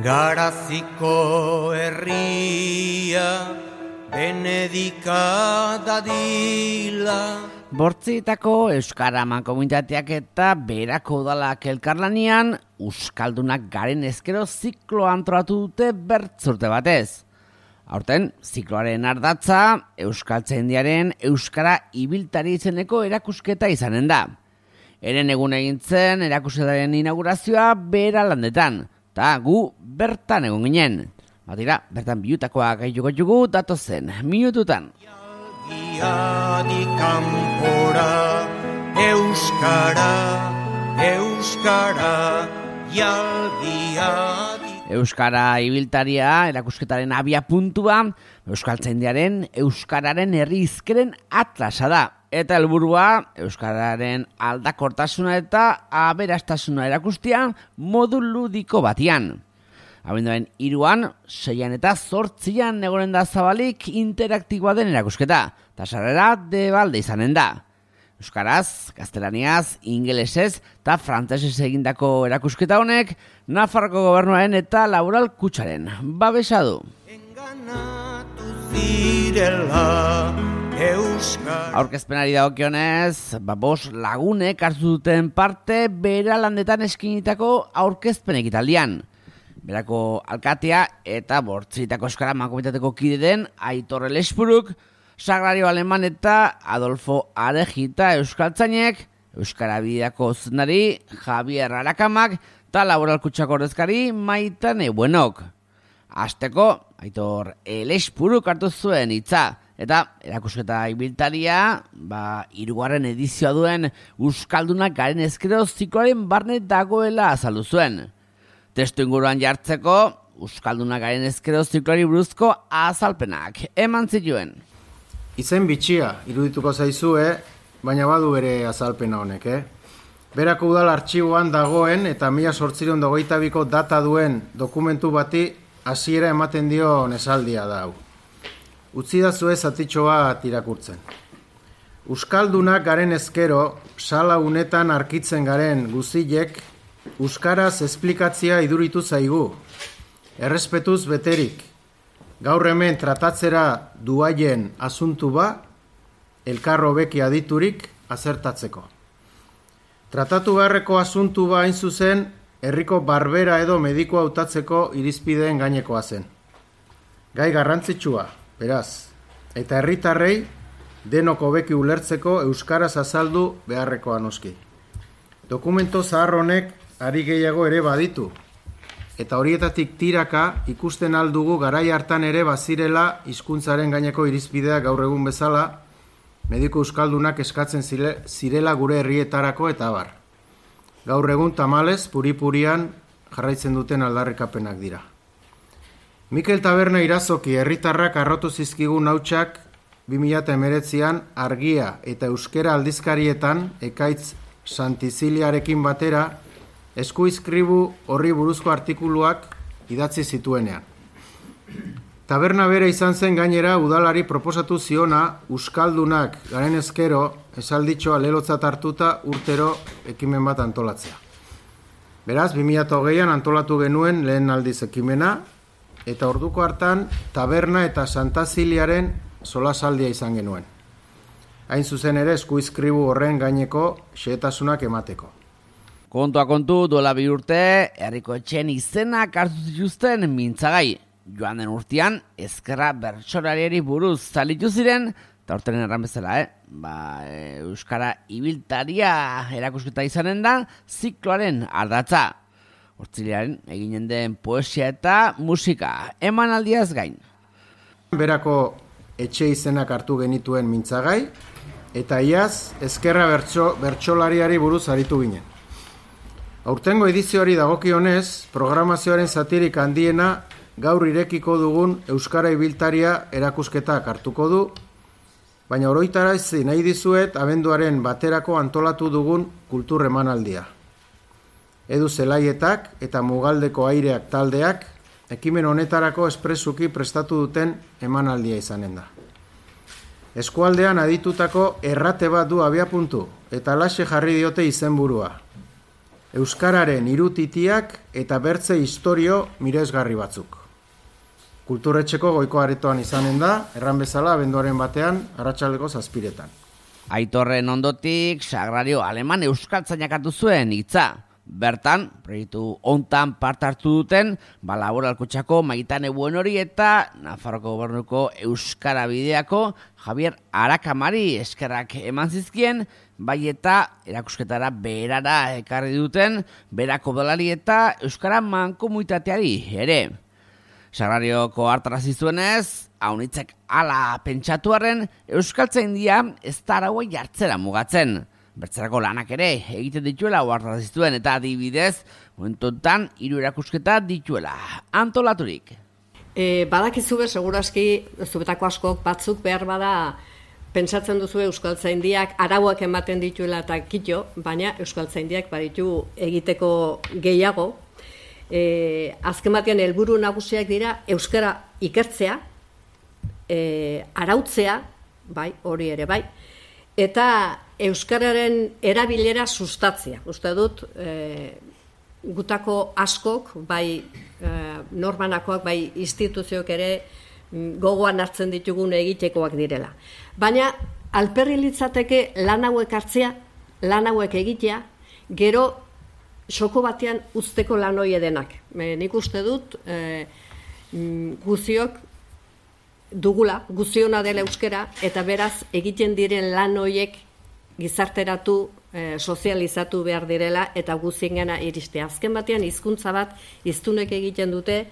Garaziko herria benedika dadila. Bortzietako Euskara Mankomunitateak eta Berako Udalak elkarlanean Euskaldunak garen ezkero zikloa antolatu dute bertzurte batez. Aurten, zikloaren ardatza Euskaltzaindiaren Euskara ibiltari izeneko erakusketa izanen da. Eren egun egintzen erakusketaren inaugurazioa Beralandetan, eta gu bertan egon ginen. Batira, bertan bihutakoak gaituko jugu datozen minututan. Jalgiadi kanpora, Euskara, Euskara, jalgiadi. Euskara ibiltaria erakusketaren abia puntua, Euskaltzaindiaren Euskararen herri hizkeren atlasa da. Eta helburua Euskararen aldakortasuna eta aberastasuna erakustia modu ludiko batian. Abenduaren 3, 6 eta 8 egonen da zabalik interaktiboa den erakusketa, eta sarrera debalde izanen da. Euskaraz, gaztelaniaz, ingelesez eta frantsesez egindako erakusketa honek Nafarroko gobernuaren eta Laboral Kutxaren babesa du. Enganatu zirela Euskara. Aurkezpenari dagokionez, 5 lagunek hartu duten parte Beralandetan eskinitako aurkezpen ekitaldian. Berako alkatea eta Bortzietako Euskara Mankomunitateko kide den Aitor Elespuruk, Sagrario Aleman eta Adolfo Arejita Euskaltzainek, Euskara Bideako zuzendari Javier Arakamak eta Laboral Kutxako ordezkari Maitane Buenok. Hasteko, Aitor Elespuruk hartu zuen hitza, eta erakusketa ibiltaria, 3. edizioa duen Euskaldunak garen ezkero zikloaren barne dagoela azaldu zuen. Testu inguruan jartzeko, Euskaldunak garen ezkero zikloari buruzko azalpenak eman zituen. Izen bitxia irudituko zaizue, baina badu bere azalpena honek, Berako Udal artxiboan dagoen eta 1822ko data duen dokumentu bati hasiera ematen dio esaldia da hau. Utzi dazue zatitxo bat irakurtzen. Euskaldunak garen ezkero, sala unetan arkitzen garen guzilek, euskaraz esplikatzia iduritu zaigu, errespetuz beterik. Gaur hemen tratatzera duaien asuntu ba, elkarro beki aditurik azertatzeko. Tratatu beharreko asuntu ba hain zuzen, herriko barbera edo medikoa hautatzeko irizpideen gainekoa zen. Gai garrantzitsua, beraz, eta herritarrei denok hobeki ulertzeko euskaraz azaldu beharrekoa noski. Dokumento zahar honek ari gehiago ere baditu, eta horietatik tiraka ikusten aldugu garai hartan ere bazirela hizkuntzaren gaineko irizpideak gaur egun bezala, mediko euskaldunak eskatzen zirela gure herrietarako eta abar. Gaur egun tamalez, puri-purian jarraitzen duten aldarrikapenak dira. Mikel Taberna Irazoki herritarrak arrotu zizkigun hautsak 2019an Argia eta Euskera aldizkarietan Ekaitz Santiziliarekin batera eskuizkribu horri buruzko artikuluak idatzi zituenean. Taberna bere izan zen gainera udalari proposatu ziona Euskaldunak garen ezkero esalditxoa lelotzat hartuta urtero ekimen bat antolatzea. Beraz, 2020an antolatu genuen lehen aldiz ekimena, eta orduko hartan Taberna eta Santaziliaren solasaldia izan genuen. Hain zuzen ere eskuizkribu horren gaineko xehetasunak emateko. Kontua kontu, duela 2 urte, herriko etxeen izenak hartu zituzten mintzagai. Joan den urtean, ezkerra bertsolariari buruz zalitu ziren, eta urteren erran bezala, Euskara ibiltaria erakusketa izanen da, zikloaren ardatza. Hortzilearen eginen den poesia eta musika, emanaldiaz gain. Berako etxe izenak hartu genituen mintzagai, eta iaz ezkerra bertsolariari buruz aritu ginen. Aurtengo edizioari dagokionez, programazioaren zatirik handiena gaur irekiko dugun Euskara ibiltaria erakusketak hartuko du, baina oroitarazi nahi dizuet abenduaren 1 antolatu dugun kultur emanaldia. Edu Zelaietak eta Mugaldeko Aireak taldeak ekimen honetarako espresuki prestatu duten emanaldia izanen da. Eskualdean aditutako errate bat du abiapuntu eta alaxe jarri diote izenburua. euskararen irutitiak eta bertze historio miresgarri batzuk. Kulturetxeko goiko aretoan izanen da, erran bezala abenduaren batean, arratsaldeko 7:00. Aitorren ondotik, Sagrario Aleman euskaltzainak hartu zuen hitza. Bertan, proiektu hontan parte hartu duten, Laboralkotxako Maitane Buenori eta Nafarroko Gobernuko Euskara Bideako Javier Arakamari eskerrak eman zizkien, bai eta erakusketara berara ekarri duten, berako dolari eta Euskara mankomunitateari ere. Sagrarioko hartarazi zuenez, haunitzek ala pentsatuaren euskaltzaindia ez da araua jartzera mugatzen. Bertzerako lanak ere egiten dituela hartarazi zuen eta adibidez, momentuetan 3 erakusketa dituela antolaturik. Badakizu segurazki, zubetako askok batzuk behar bada pentsatzen duzu euskaltzaindiak arauak ematen dituela eta kito, baina euskaltzaindiak baditu egiteko gehiago. Azken batean helburu nagusiak dira euskara ikertzea, arautzea, bai, hori ere bai, eta euskararen erabilera sustatzea. Uste dut, gutako askok, bai norbanakoak, bai instituzioak ere gogoan hartzen ditugun egitekoak direla. Baina, alperri litzateke lan hauek hartzea, lan hauek egitea, gero soko batean uzteko lan hori edenak. Nik uste dut, guziok dugula, guziona dela euskera, eta beraz egiten diren lan horiek gizarteratu, sozializatu behar direla, eta guziengana iristea. Azken batean, hizkuntza bat, hiztunek egiten dute,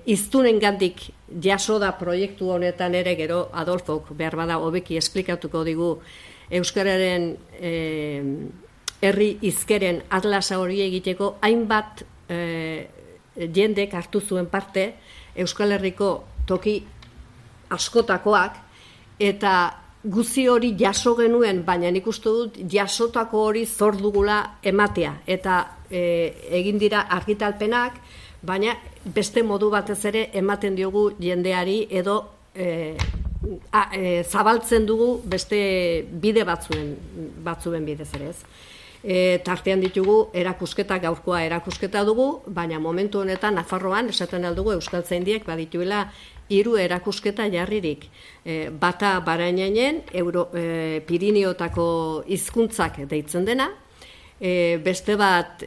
hiztunengandik jaso da proiektu honetan ere, gero Adolfok behar bada hobeki esplikatuko digu euskararen herri hizkeren atlasa hori egiteko hainbat jendek hartu zuen parte Euskal Herriko toki askotakoak eta guzi hori jaso genuen, baina nik uste dut jasotako hori zor dugula ematea eta egin dira argitalpenak, baina beste modu batez ere ematen diogu jendeari edo zabaltzen dugu beste bide batzuen bidez ere ez. Tartean ditugu erakusketa, gaurkoa erakusketa dugu, baina momentu honetan Nafarroan esaten aldugu euskaltzaindiek badituela 3 erakusketa jarririk. Bata Barainainen, Pirineotako hizkuntzak deitzen dena, beste bat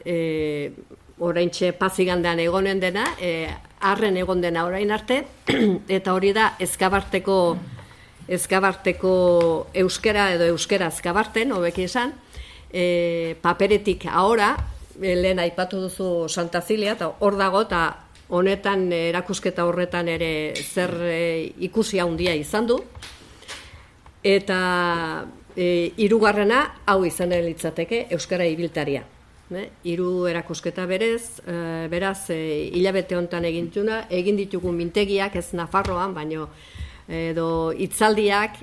oraintxe Pazigandean egonen dena, arren egon dena orain arte, eta hori da Ezkabarteko euskera edo euskera Ezkabarten, hobeki esan, paperetik ahora, lehen aipatu duzu Santa Zilia, eta hor dago, eta honetan erakusketa horretan ere zer ikusi handia izan du, eta 3. hau izan litzateke euskara ibiltaria. 3 erakusketa beraz, hilabete honetan egin ditugu mintegiak, ez Nafarroan, baino edo hitzaldiak,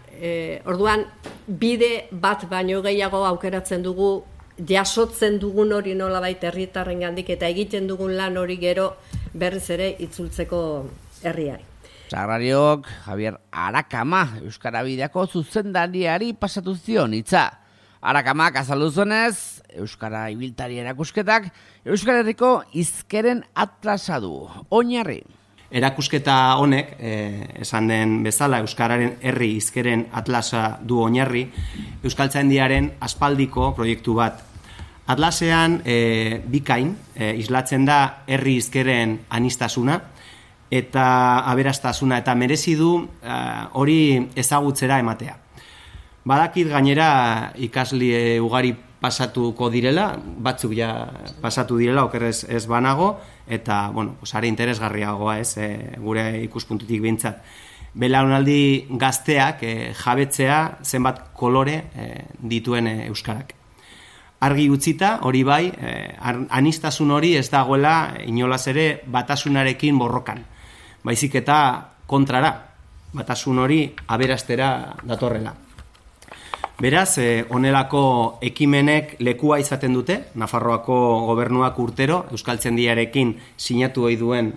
orduan bide bat baino gehiago aukeratzen dugu, jasotzen dugun hori nolabait herritarrengandik eta egiten dugun lan hori gero berriz ere itzultzeko herriari. Sagrariok Javier Arakama Euskara Bideako zuzendariari pasatu zion hitza. Arakamak azaldu zuenez, Euskara ibiltari erakusketak Euskal Herriko hizkeren atlasa du, oinarri. Erakusketa honek, esan den bezala, Euskararen herri hizkeren atlasa du oinarri, euskaltzaindiaren aspaldiko proiektu bat. Atlasean bikain islatzen da herri hizkeren aniztasuna eta aberastasuna eta merezi du hori ezagutzera ematea. Badakit gainera ikasle ugari pasatuko direla, batzuk ja pasatu direla, okerrez ez banago, eta, bueno, are interesgarriagoa ez, gure ikuspuntutik behintzat. Belaunaldi gazteak jabetzea zenbat kolore dituen euskarak. Argi utzita, hori bai, aniztasun hori ez dagoela inolaz ere batasunarekin borrokan. Baizik eta kontrara, batasun hori aberastera datorrela. Beraz, honelako ekimenek lekua izaten dute, Nafarroako gobernuak urtero, Euskaltzaindiarekin sinatu ohi duen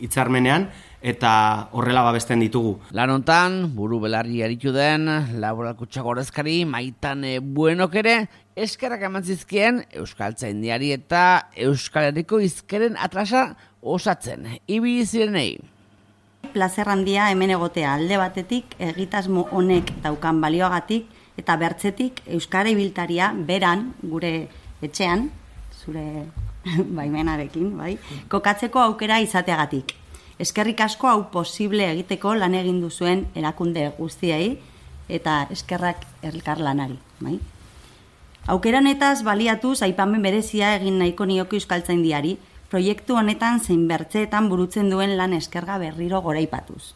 hitzarmenean, eta horrela babesten ditugu. Lan hontan, buru belarri aritu den, laboralkutxako ordezkari Maitane Buenok ere, eskerrak eman zizkien Euskaltzaindiari eta Euskal Herriko hizkeren atlasa osatzen. Ibili zirenei. Plazer handia hemen egotea alde batetik, egitasmo honek daukan balioagatik, eta bertzetik Euskara ibiltaria beran, gure etxean, zure baimenarekin, bai, kokatzeko aukera izateagatik. Eskerrik asko hau posible egiteko lan egin duzuen erakunde guztiei eta eskerrak elkarlanari, bai. Aukera honetaz baliatuz aipamen berezia egin nahiko nioke Euskaltzaindiari, proiektu honetan zein bertzeetan burutzen duen lan eskerga berriro goraipatuz.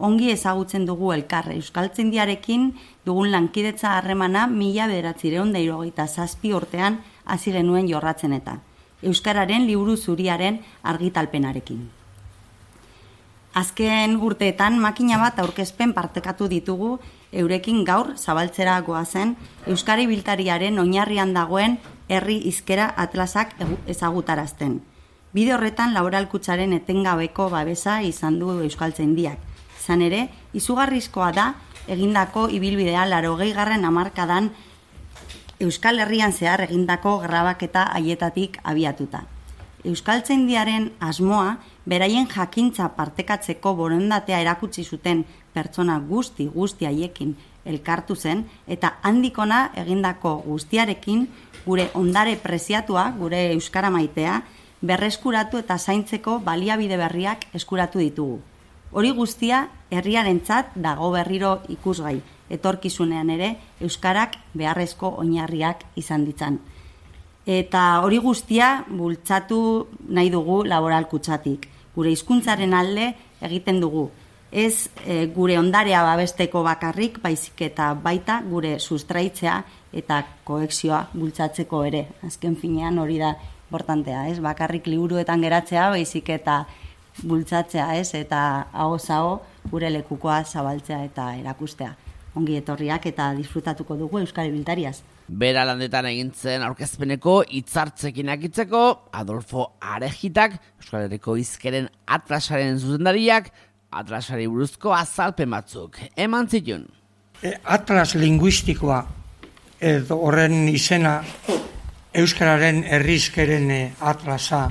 Ongi ezagutzen dugu elkar Euskaltzaindiarekin dugun lankidetza harremana 1997 urtean hasi genuen jorratzen eta Euskararen liburu zuriaren argitalpenarekin. Azken urteetan makina bat aurkezpen partekatu ditugu eurekin gaur zabaltzera goazen Euskara ibiltariaren oinarrian dagoen herri hizkera atlasak ezagutarazten. Bide horretan laboralkutxaren etengabeko babesa izan du Euskaltzaindiak. Izan ere, izugarrizkoa da egindako ibilbidea 80. hamarkadan Euskal Herrian zehar egindako grabaketa haietatik abiatuta. Euskaltzaindiaren asmoa beraien jakintza partekatzeko borondatea erakutsi zuten pertsona guzti haiekin elkartu zen eta handikona egindako guztiarekin gure ondare preziatua, gure euskara maitea, berreskuratu eta zaintzeko baliabide berriak eskuratu ditugu. Hori guztia herriarentzat dago berriro ikusgai, etorkizunean ere euskarak beharrezko oinarriak izan ditzan. Eta hori guztia bultzatu nahi dugu laboralkutxatik. Gure hizkuntzaren alde egiten dugu. Ez gure ondarea babesteko bakarrik, baizik eta baita gure sustraitzea eta koexioa bultzatzeko ere. Azken finean hori da importantea, ez? Bakarrik liburuetan geratzea, baizik eta bultzatzea, ez? Eta aho gure lekukoa zabaltzea eta erakustea. Ongi etorriak eta disfrutatuko dugu Euskal Ibiltariaz. Bera landetan egintzen aurkezpeneko hitzartzekin akitzeko, Adolfo Arejitak, Euskal Herriko hizkeren atlasaren zuzendariak, atlasari buruzko azalpen batzuk eman zituen. Atlas linguistikoa, edo horren izena, Euskararen herrizkeren atlasa,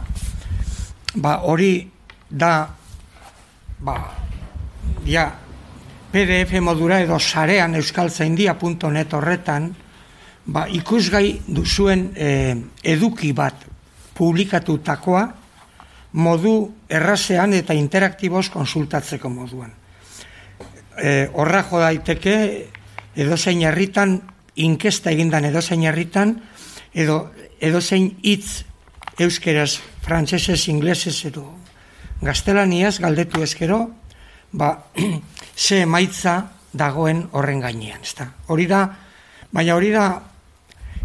hori da, PDF modura edo sarean euskaltzaindia.net horretan, ikusgai duzuen eduki bat publikatutakoa modu errazean eta interaktiboz konsultatzeko moduan. Horra jo daiteke edozein herritan, inkesta egindan edozein herritan, edo edozein hitz euskeraz, frantsesez, inglesez edo gaztelaniaz galdetu ezkero, ze emaitza dagoen horren gainean, ezta. Hori da, baina hori da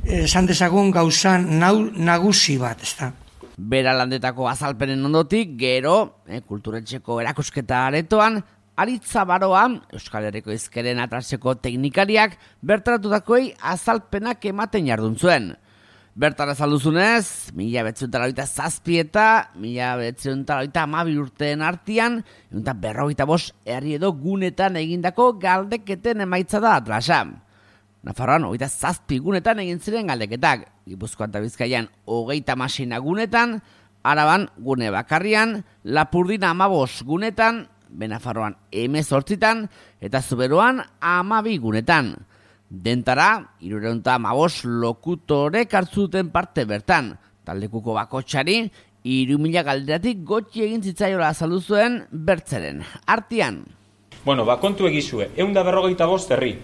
esan dezagun gauza nagusi bat, ezta. Bera landetako azalpenen ondotik, gero, kulturetxeko erakusketa aretoan, Aritza Baroa, Euskal Herriko hizkeren atlaseko teknikariak, bertaratutakoei azalpenak ematen jardun zuen. Bertan azalduzunez, 1987 eta 1992 urteen artean, eta 45 herri edo gunetan egindako galdeketen emaitza da atlasa. Nafarroan 27 gunetan egin ziren galdeketak, Gipuzkoan eta Bizkaian 36 gunetan, Araban gune bakarrian, Lapurdin 15 gunetan, Benafarroan 18 eta Zuberoan 12 gunetan. Dentara, 315 lokutorek hartzuten parte bertan, taldekuko bakotxari, 3.000 galderatik gotxi egin zitzaiola azaldu zuen bertzeren. Artian. Kontu egizue, 145 herri,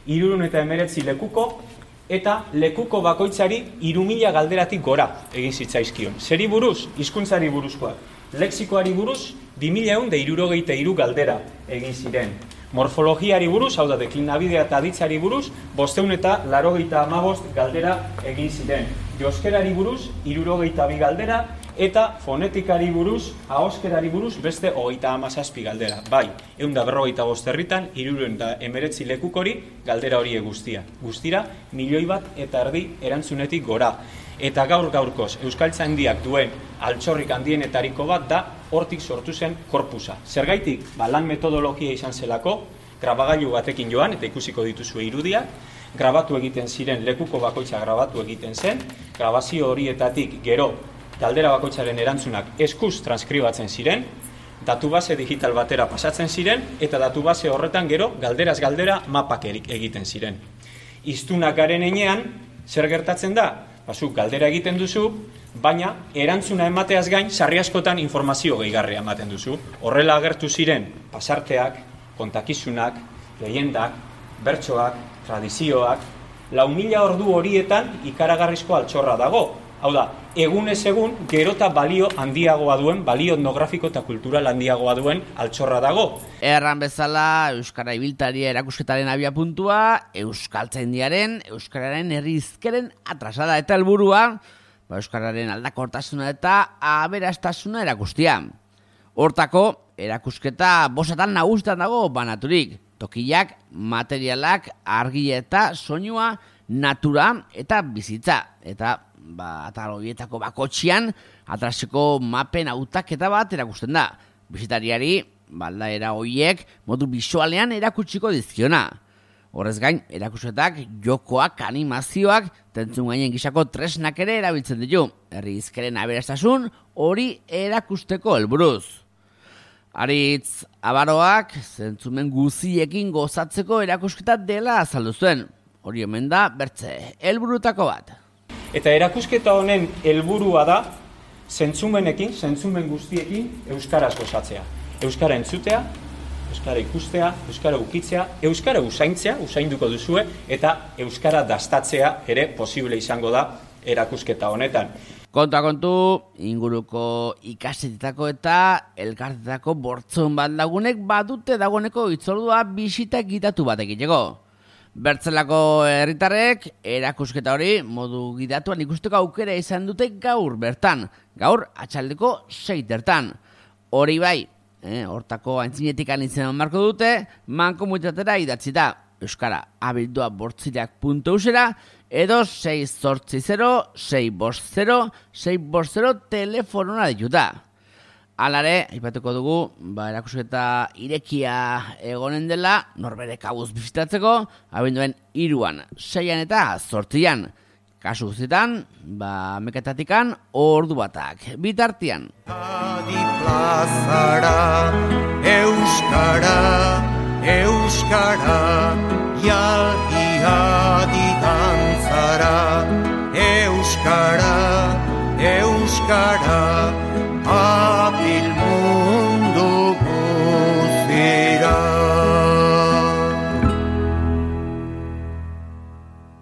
319 lekuko, eta lekuko bakoitzari 3.000 galderatik gora egin zitzaizkion. Zeri buruz, hizkuntzari buruzkoa. Lexikoari buruz, 2.163 galdera egin ziren. Morfologiari buruz, hau da, deklinabidea eta aditzari buruz, 585 galdera egin ziren. Joskerari buruz, 62 galdera, eta fonetikari buruz, ahoskerari buruz, beste 37 galdera. Bai, 155 herritan, 319 lekukori galdera hori guztia. Guztira, 1,5 milioi erantzunetik gora. Eta gaur-gaurkoz, Euskaltzaindiak duen altxorrik handienetariko bat da hortik sortu zen korpusa. Zergaitik, lan metodologia izan zelako, grabagailu batekin joan, eta ikusiko dituzue irudiak, grabatu egiten ziren, lekuko bakoitza grabatu egiten zen, grabazio horietatik gero galdera bakoitzaren erantzunak eskuz transkribatzen ziren, datubase digital batera pasatzen ziren, eta datubase horretan gero galderaz galdera mapak egiten ziren. Hiztunak garen enean, zer gertatzen da? Zuk galdera egiten duzu, baina erantzuna emateaz gain sarri askotan informazio gehigarria ematen duzu. Horrela agertu ziren pasarteak, kontakizunak, lehendak, bertsoak, tradizioak, 4.000 ordu horietan ikaragarrizko altxorra dago. Hau da, egunez egun, gerota balio handiagoa duen, balio etnografiko eta kultural handiagoa duen altxorra dago. Erran bezala, Euskara Ibiltaria erakusketaren abiapuntua, Euskaltzaindiaren, Euskararen herri hizkeren atrasada eta helburua, Euskararen aldakortasuna eta aberastasuna erakustia. Hortako, erakusketa bosatan nagusitan dago banaturik, tokiak, materialak, argia eta soinua, natura eta bizitza, eta atal horietako bakotxian atraseko mapen hautaketa bat erakusten da. Bisitariari, aldaera horiek modu bisualean erakutsiko dizkiona. Horrez gain, erakusketak, jokoak, animazioak, tentzun gainen gisako tresnak ere erabiltzen ditu. Herri hizkeren aberastasun hori erakusteko helburuz. Aritz Abaroak zentzumen guziekin gozatzeko erakusketa dela azaldu zuen. Hori omen da, bertze, helburutako bat. Eta erakusketa honen helburua da zentzumenekin, zentzumen guztiekin euskaraz gozatzea. Euskara entzutea, euskara ikustea, euskara ukitzea, euskara usainduko duzue, eta euskara dastatzea ere posible izango da erakusketa honetan. Kontu, inguruko ikasetetako eta elkartetako bortzon bat lagunek badute dagoeneko itzordua bisita gidatu bat egiteko. Bertzelako herritarrek erakusketa hori modu gidatuan ikusteko aukera izan dute gaur bertan, gaur atxaldeko 6 Hori bai, hortako antzinetik anitzen marko dute, mankomunitatera idatzita, euskara abildua bortziriak.eusera edo 680-650-650 telefonona dituta. Alare, aipatuko dugu, erakusketa irekia egonen dela, norbere kabuz bizitatzeko, abenduen 3, 6 eta 8. Kasu guztietan, mekatatikan ordu batak. Bitartian. Adi plazara, euskara, euskara, jalgi adi